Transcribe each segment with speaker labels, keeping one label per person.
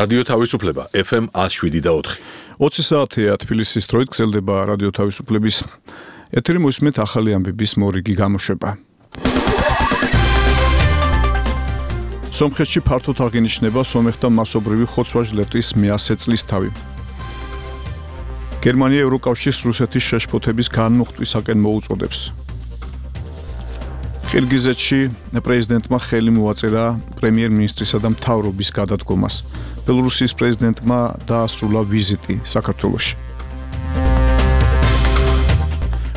Speaker 1: რადიო თავისუფლება FM 107.4.
Speaker 2: 20 საათია თბილისის დროით გრძელდება რადიო თავისუფლების ეთერი მოსმენთ ახალი ამბების მორიგი გამოშვება. სომხეთში ფართოდ აღინიშნება სომეხთა მასობრივი ხოცვა-ჟლეტის მე-100 წლისთავი. გერმანია ევროკავშირს რუსეთის შეშფოთების განმუხტვისაკენ მოუწოდებს. ყირგიზეთში პრეზიდენტმა ხელი მოაწერა პრემიერ-მინისტრისა და მთავრობის გადადგომას. ბელორუსიის პრეზიდენტმა დაასრულა ვიზიტი საქართველოში.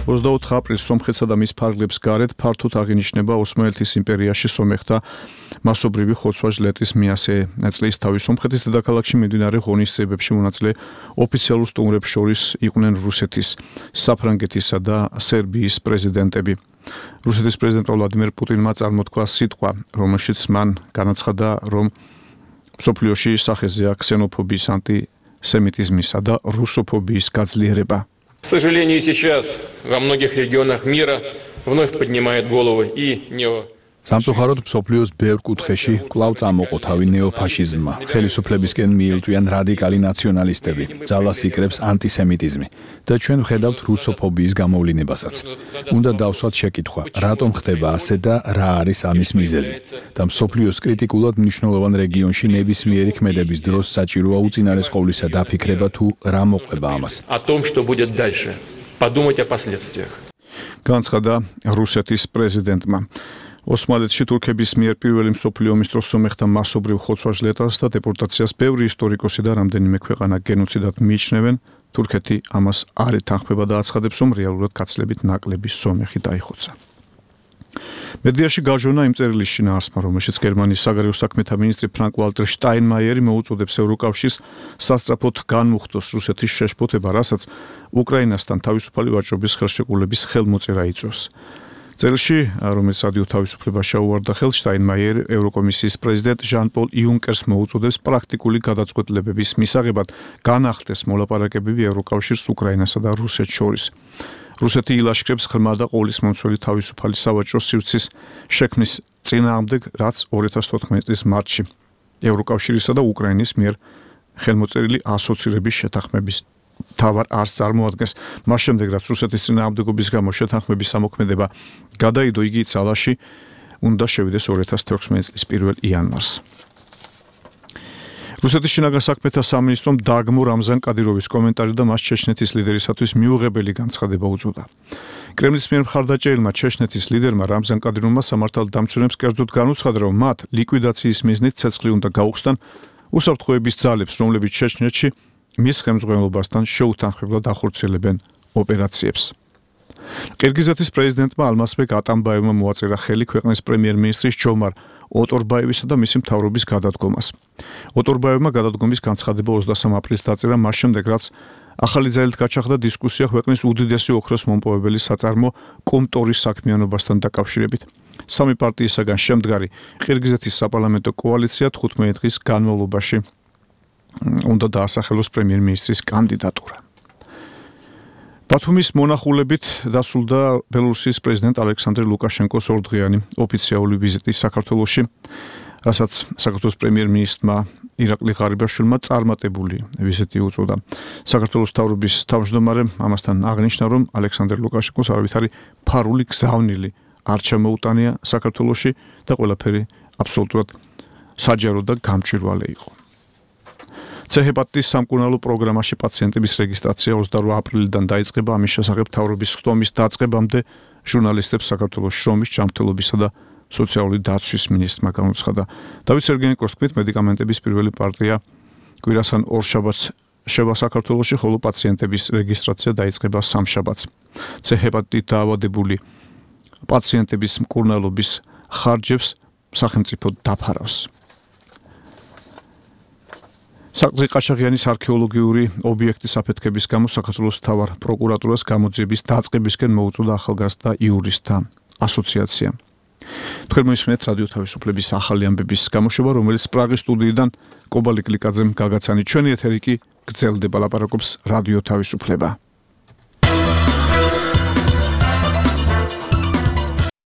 Speaker 2: 24 აპრილს სომხეთსა და მის ფარგლებს გარეთ ფართოდ აღინიშნება ოსმალეთის იმპერიაში სომეხთა მასობრივი ხოცვა-ჟლეტის მე-100 წლისთავი. სომხეთის დედაქალაქში მიმდინარე ღონისძიებებში მონაწილე ოფიციალურ სტუმრებს შორის იყვნენ რუსეთის, საფრანგეთისა და სერბიის პრეზიდენტები. რუსეთის პრეზიდენტ ვლადიმერ პუტინმა წარმოთქვა სიტყვა, რომელშიც მან განაცხადა, რომ მსოფლიოში სახეზეა ქსენოფობიის, антисемитизмისა და რუსოფობიის გაძლიერება.
Speaker 3: К сожалению, сейчас во многих регионах мира вновь поднимает головы и нео.
Speaker 4: სამწუხაროდ მსოფლიოს ბევრ კუთხეში კვლავ წამოყოთავი ნეოფაშიზმმა, ხელისუფლებისკენ მიილტვიან რადიკალი ნაციონალისტები, ძალას იკრებს ანტისემიტიზმი და ჩვენ ვხედავთ რუსოფობიის გამოვლინებასაც. უნდა დავსვათ შეკითხვა, რატომ ხდება ასე და რა არის ამის მიზეზი? და მსოფლიოს კრიტიკულად მნიშვნელოვან რეგიონში ნებისმიერი ქმედების დროს საჭიროა უწინარეს ყოვლისა დაფიქრება თუ რა მოყვება ამას.
Speaker 3: О том, что будет дальше. Подумать о последствиях.
Speaker 2: განცხადა რუსეთის პრეზიდენტმა. ოსმალეთში თურქების მიერ პირველი მსოფლიო ომის დროს სომეხთა მასობრივ ხოცვა-ჟლეტას და დეპორტაციას ბევრი ისტორიკოსი და რამდენიმე ქვეყანა გენოციდად მიიჩნევენ. თურქეთი ამას არ ეთანხმება და აცხადებს, რომ რეალურად გაცლებით ნაკლები სომეხი დაიხოცა. მედიაში გაჟონა იმ წერილის შინაარსმა, რომელშიც გერმანიის საგარეო საქმეთა მინისტრი ფრანკ ვალტერ შტაინმაიერი მოუწოდებს ევროკავშირს სასწრაფოდ განმუხტოს რუსეთის შეშფოთება, რასაც უკრაინასთან თავისუფალი ვაჭრობის ხელშეკრულების ხელმოწერა იწვევს. წერილში, რომელიც რადიო თავისუფლება შეუვარდა ხელს, შტაინმაიერი ევროკომისიის პრეზიდენტ ჟან-პოლ იუნკერს მოუწოდებს პრაქტიკული გადაწყვეტილებების მისაღებად განახდეს მოლაპარაკებები ევროკავშირს უკრაინასა და რუსეთს შორის. რუსეთი ილაშქრებს ღრმა და ყოვლისმომცველი თავისუფალი სავაჭრო სივრცის შექმნის წინააღმდეგ, რაც 2014 წლის მარტში ევროკავშირისა და უკრაინის მიერ ხელმოწერილი ასოცირების შეთანხმების თავარ არს წარმოადგენს. მას შემდეგ, რაც რუსეთის წინააღმდეგობის გამო შეთანხმების სამოქმედება გადაიდო, იგი ძალაში უნდა შევიდეს 2016 წლის 1 იანვარს. რუსეთის შინაგან საქმეთა სამინისტრომ დაგმო რამზან კადიროვის კომენტარი და მას ჩეჩნეთის ლიდერისათვის მიუღებელი განცხადება უწოდა. კრემლის მიერ მხარდაჭერილმა ჩეჩნეთის ლიდერმა რამზან კადიროვმა სამართალდამცველებს კერძოდ განუცხადა, რომ მათ ლიკვიდაციის მიზნით ცეცხლი უნდა გაუხსნან უსაფრთხოების ძალებს, რომლებიც ჩეჩნეთში მის ხელმძღვანელობასთან შეუთანხმებლად ახორციელებენ ოპერაციებს. ყირგიზეთის პრეზიდენტმა ალმასბეკ ატამბაევმა მოაწერა ხელი ქვეყნის პრემიერ-მინისტრის ჯომარ ოტორბაევისა და მისი მთავრობის გადადგომას. ოტორბაევმა გადადგომის განცხადება 23 აპრილს დაწერა მას შემდეგ, რაც ახალი ძალით გაჩაღდა დისკუსია ქვეყნის უდიდესი ოქროს მომპოვებელი საწარმო კომტორის საქმიანობასთან დაკავშირებით. სამი პარტიისაგან შემდგარი ყირგიზეთის საპარლამენტო კოალიცია 15 დღის განმავლობაში უნდა დაასახელოს პრემიერ-მინისტრის კანდიდატურა. ბათუმის მონახულებით დასრულდა ბელორუსიის პრეზიდენტ ალექსანდრე ლუკაშენკოს ორდღიანი ოფიციალური ვიზიტი საქართველოში, რასაც საქართველოს პრემიერ-მინისტრმა ირაკლი ღარიბაშვილმა წარმატებული ვიზიტი უწოდა. საქართველოს მთავრობის თავმჯდომარემ ამასთან აღნიშნა, რომ ალექსანდრე ლუკაშენკოს არავითარი ფარული გზავნილი არ ჩამოუტანია საქართველოში და ყველაფერი აბსოლუტურად საჯარო და გამჭვირვალე იყო. C-ჰეპატიტის სამკურნალო პროგრამაში პაციენტების რეგისტრაცია 28 აპრილიდან დაიწყება. ამის შესახებ მთავრობის ხდომის დაწყებამდე ჟურნალისტებს საქართველოს შრომის, ჯანმრთელობისა და სოციალური დაცვის მინისტრმა განუცხადა. დავით სერგეენკოს თქმით, მედიკამენტების პირველი პარტია კვირას ან ორ შაბათს შევა საქართველოში, ხოლო პაციენტების რეგისტრაცია დაიწყება სამშაბათს. C-ჰეპატიტით დაავადებული პაციენტების მკურნალობის ხარჯებს სახელმწიფო დაფარავს. საყდრი ყაჩაღიანის არქეოლოგიური ობიექტის აფეთქების გამო საქართველოს მთავარ პროკურატურას გამოძიების დაწყებისკენ მოუწოდა ახალგაზრდა იურისტთა ასოციაცია. თქვენ მოისმენთ რადიო თავისუფლების ახალი ამბების გამოშვება, რომელიც პრაღის სტუდიიდან კობალი კლიკაძემ გაგაცანი. ჩვენი ეთერი კი გრძელდება, ლაპარაკობს რადიო თავისუფლება.